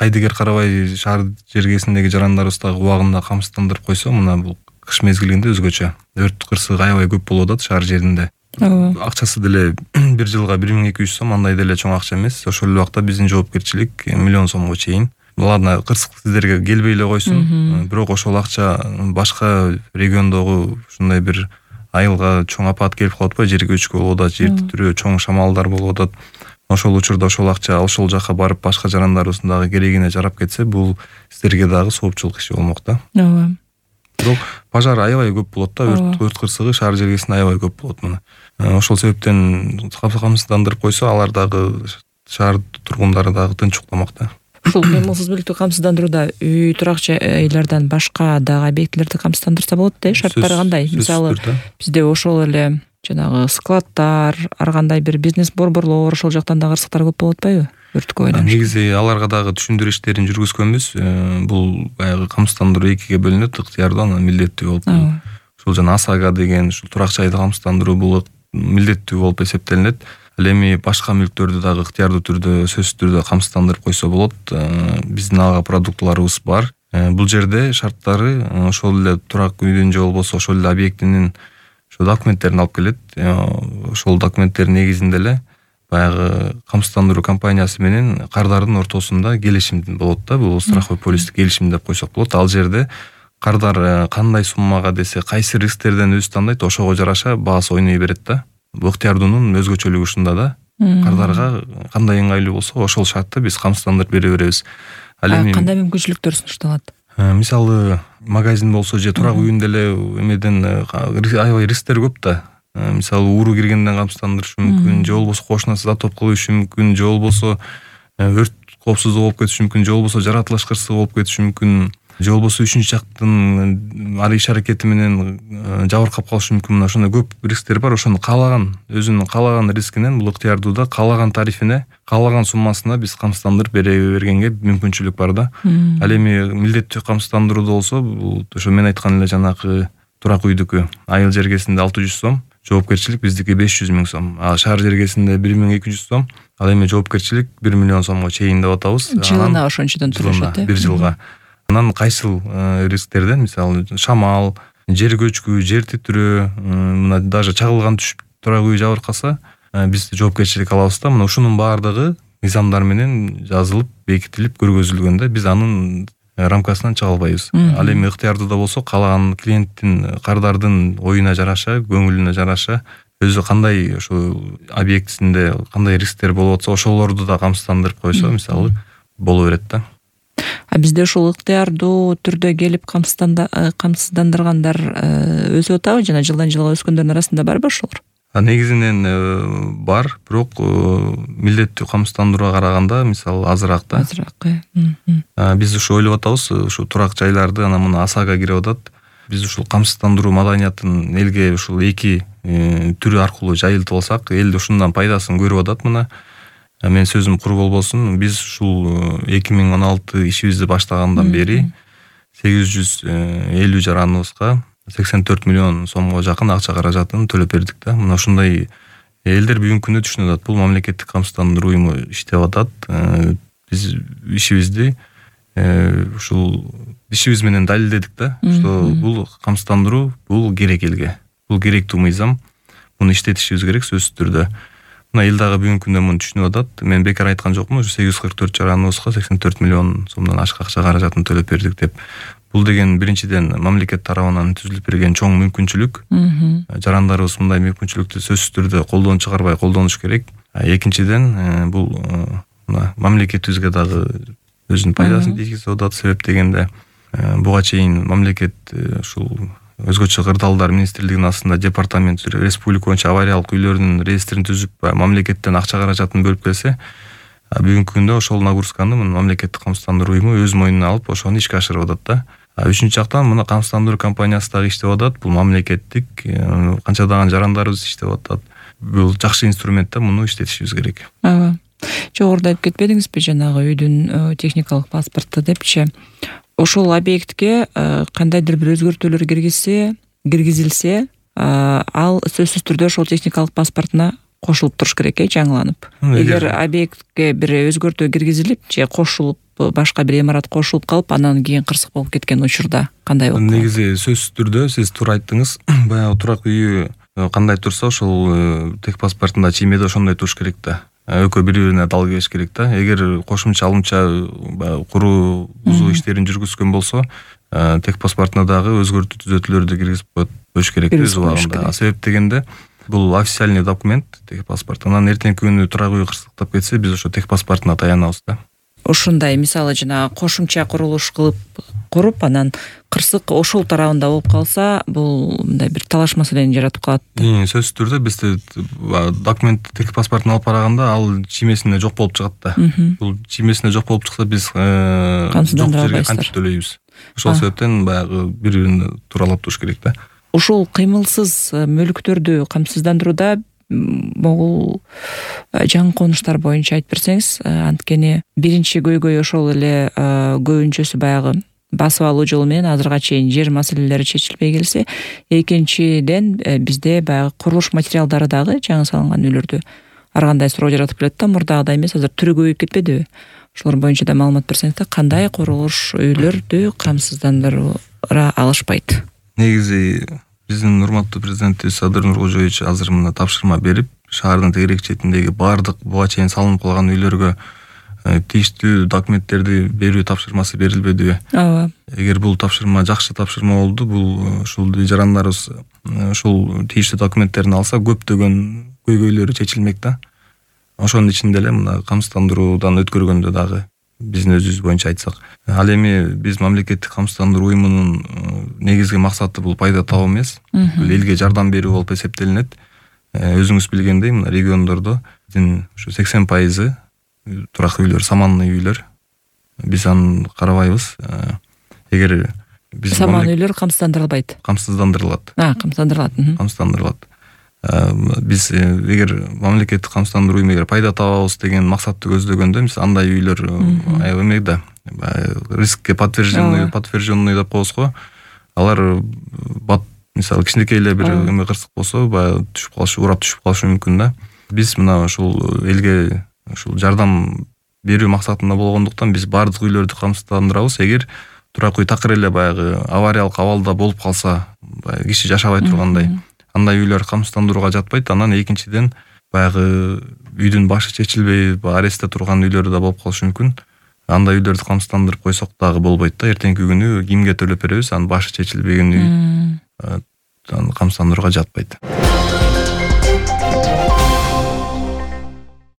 кайдыгер карабай шаар жергесиндеги жарандарыбыз дагы убагында камсыздандырып койсо, мына бул кыш мезгилинде өзгөчө өрт кырсыгы аябай көп болуп атат шаар жеринде. Акчасы деле бир жылга 1200 сом, андай деле чоң акча эмес. Ошол эле убакта биздин жоопкерчилик 1 миллион сомго чейин. Буларны кырсык сиздерге келбей эле койсун, бирок ошол акча башка региондогу ушундай бир айылга чоң апат келип калып атпайбы, жер көчкү болуп атат, жер титирөө, чоң шамалдар болуп атат. Ошол учурда ошол акча ошол жака барып башка жарандарыбыздын дагы керегине жарап кетсе, бул сиздерге дагы соопчулук иши болмок да. Ооба. Бирок пожар аябай көп болот да, өрт кырсыгы шаар жергесинде аябай көп болот мына. Ошол себептен камсыздандырып койсо, алар дагы шаар тургундары дагы тынч укламак да. Ушул кыймылсыздуулукту камсыздандырууда үй турак жайлардан башка дагы объектилерди камсыздандырса болот да, шарттары кандай? Мисалы, бизде ошол эле жанагы складдар, ар кандай бир бизнес борборлор, ошол жактан дагы кырсыктар көп болуп атпайбы? Өрткө байланыштуу. Негизи аларга дагы түшүндүрүү иштерин жүргүзгөнбүз. Бул баягы камсыздандыруу экиге бөлүнөт, ыктыярдуу, анан милдеттүү болуп. Ушул жана ОСАГО деген ушул турак жайды камсыздандыруу бул милдеттүү болуп эсептелинет. Ал эми башка мүлктөрдү дагы ыктыярдуу түрдө, сөзсүз түрдө камсыздандырып койсо болот. Биздин ага продуктыларыбыз бар. Бул жерде шарттары ошол эле турак үйдүн же болбосо ошол эле объектинин ошол документтерин алып келет. Ошол документтер негизинде эле баягы камсыздандыруу компаниясы менен кардардын ортосунда келишим болот да. Бул страховой полистик келишим деп койсок болот. Ал жерде кардар кандай суммага десе, кайсы рисктерден өзү тандайт, ошого жараша баасы ойной берет да. Бул ыктыярдуунун өзгөчөлүгү ушунда да. Кардарга кандай ыңгайлуу болсо, ошол шартты биз камсыздандырып бере беребиз. Ал эми кандай мүмкүнчүлүктөр сунушталат? Мисалы, магазин болсо же турак үйүндө эле эмеден аябай рисктер көп да. Мисалы, ууру киргенден камсыздандырышы мүмкүн, же болбосо кошунасын затоп кылышы мүмкүн, же болбосо өрт коопсуздугу болуп кетиши мүмкүн, же болбосо жаратылыш кырсыгы болуп кетиши мүмкүн, же болбосо үчүнчү жактын иш аракети менен жабыркап калышы мүмкүн. Мына ошондой көп рисктер бар. Ошону каалаган, өзүнүн каалаган рискинен бул ыктыярдууда каалаган тарифине, каалаган суммасына биз камсыздандырып бере бергенге мүмкүнчүлүк бар да. Ал эми милдеттүү камсыздандырууда болсо, бул ошо мен айткан эле жанагы турак үйдүкү айыл жергесинде 600 сом, жоопкерчилик биздики 500 000 сом. А шаар жергесинде 1200 сом. Ал эми жоопкерчилик 1 миллион сомго чейин деп атабыз. Жылына ошончодон турушат, бир жылга. Анан кайсыл рисктерден, мисалы, шамал, жер көчкү, жер титирөө, мына даже чагылган түшүп турак үй жабыркаса, биз жоопкерчилик алабыз да. Мына ушунун баардыгы мыйзамдар менен жазылып, бекитилип, көргөзүлгөндө биз анын рамкасынан чыга албайбыз. Ал эми ыктыярдууда болсо, каалаган клиенттин, кардардын оюна жараша, көңүлүнө жараша, өзү кандай ошо объектисинде кандай рисктер болуп атса, ошолорду да камсыздандырып койсо, мисалы, боло берет да. Бизде ушул ыктыярдуу түрдө келип камсыздандыргандар өсүп атабы, жана жылдан жылга өскөндөрдүн арасында барбы ошолор? Негизинен бар, бирок милдеттүү камсыздандырууга караганда, мисалы, азыраак да. Азыраак. Биз ушу ойлоп атабыз, ушу турак жайларды анан мына ОСАГО кирип атат. Биз ушул камсыздандыруу маданиятын элге ушул эки түрү аркылуу жайылтып алсак, эл ушундан пайдасын көрүп атат мына. Мен сөзүм кур болбосун, биз ушул 2016 ишибизди баштагандан бери 850 жараныбызга 84 миллион сомго жакын акча каражатын төлөп бердик да. Мына ушундай элдер бүгүнкү күндө түшүнүп атат. Бул мамлекеттик камсыздандыруу уюму иштеп атат. Биз ишибизди ушул ишибиз менен далилдедик да, что бул камсыздандыруу бул керек элге. Бул керектүү мыйзам. Муну иштетишибиз керек сөзсүз түрдө. Мына эл дагы бүгүнкү күндө муну түшүнүп атат. Мен бекар айткан жокмун, 844 жараныбызга 84 миллион сомдон ашык акча каражатын төлөп бердик деп. Бул деген биринчиден мамлекет тарабынан түзүлүп берген чоң мүмкүнчүлүк. Жарандарыбыз мындай мүмкүнчүлүктү сөзсүз түрдө колдон чыгарбай колдонуш керек. Экинчиден бул мамлекетибизге дагы өзүнүн пайдасын тийгизип атат. Себеп дегенде буга чейин мамлекет ушул өзгөчө кырдаалдар министрлигинин астында департамент республика боюнча авариялык үйлөрдүн реестрин түзүп мамлекеттен акча каражатын бөлүп келсе, бүгүнкү күндө ошол нагрузканы мамлекеттик камсыздандыруу уюму өз мойнуна алып ошону ишке ашырып атат да. Үчүнчү жактан мына камсыздандыруу компаниясы дагы иштеп атат. Бул мамлекеттик, канчадаган жарандарыбыз иштеп атат. Бул жакшы инструмент да, муну иштетишибиз керек. Ооба. Жогоруда айтып кетпедиңизби, жанагы үйдүн техникалык паспорту депчи? Ошол объектке кандайдыр бир өзгөртүүлөр киргизилсе, ал сөзсүз түрдө ошол техникалык паспортуна кошулуп туруш керек, жаңыланып. Эгер объектке бир өзгөртүү киргизилип же кошулуп башка бир имарат кошулуп калып, анан кийин кырсык болуп кеткен учурда кандай болот? Негизи сөзсүз түрдө сиз туура айттыңыз. Баягы турак үйү кандай турса ошол техпаспортунда чиймеде ошондой туруш керек да. Экөө бири-бирине дал келиш керек да. Эгер кошумча алымча куруу бузуу иштерин жүргүзгөн болсо, техпаспортуна дагы өзгөртүү түзөтүүлөрдү киргизип коюш керек өз убагында. Себеп дегенде бул официальный документ техпаспорт. Анан эртеңки күнү турак үй кырсыктап кетсе, биз ошо техпаспортуна таянабыз да. Ушундай мисалы жана кошумча курулуш куруп, анан кырсык ошол тарабында болуп калса, бул мындай бир талаш маселени жаратып калат. Сөзсүз түрдө биз документ техпаспортун алып барганда ал чиймесинде жок болуп чыгат да. Бул чиймесинде жок болуп чыкса, биз жок жерге кантип төлөйбүз. Ошол себептен баягы бири-бирине тууралап туруш керек да. Ушул кыймылсыз мүлктөрдү камсыздандырууда могул жаңы конуштар боюнча айтып берсеңиз, анткени биринчи көйгөй ошол эле көбүнчөсү баягы басып алуу жолу менен азырга чейин жер маселелери чечилбей келсе, экинчиден бизде баягы курулуш материалдары дагы жаңы салынган үйлөрдү ар кандай суроо жаратып келет да, мурдагыдай эмес, азыр түрү көбөйүп кетпедиби? Ошолор боюнча да маалымат берсеңиз да, кандай курулуш үйлөрдү камсыздандыра алышпайт? Негизи биздин урматтуу президентибиз Садыр Нуркожоевич азыр мына тапшырма берип, шаардын тегерек четиндеги баардык буга чейин салынып калган үйлөргө тийиштүү документтерди берүү тапшырмасы берилбедиби? Ооба. Эгер бул тапшырма жакшы тапшырма болду, бул ушул жарандарыбыз ушул тийиштүү документтерин алса, көптөгөн көйгөйлөрү чечилмек да. Ошонун ичинде эле мына камсыздандыруудан өткөргөндө дагы биздин өзүбүз боюнча айтсак, ал эми биз мамлекеттик камсыздандыруу уюмунун негизги максаты бул пайда табуу эмес, бул элге жардам берүү болуп эсептелинет. Өзүңүз билгендей, мына региондордо биздин ушу 80% турак үйлөр, саманный үйлөр. Биз аны карабайбыз. Эгер биз саман үйлөр камсыздандырылбайт. Камсыздандырылат. Камсыздандырылат. Биз эгер мамлекеттик камсыздандыруу уюму эгер пайда табабыз деген максатты көздөгөндө, биз андай үйлөр аябай эмек да. Рискке подтвержденный деп коебуз го. Алар мисалы кичинекей эле бир эме кырсык болсо, баягы түшүп калышы, урап түшүп калышы мүмкүн да. Биз мына ушул элге ушул жардам берүү максатында болгондуктан биз баардык үйлөрдү камсыздандырабыз. Эгер турак үй такыр эле баягы авариялык абалда болуп калса, баягы киши жашабай тургандай, андай үйлөр камсыздандырууга жатпайт. Анан экинчиден баягы үйдүн башы чечилбей, арестте турган үйлөр да болуп калышы мүмкүн. Андай үйлөрдү камсыздандырып койсок дагы болбойт да. Эртеңки күнү кимге төлөп беребиз, анын башы чечилбеген үй камсыздандырууга жатпайт.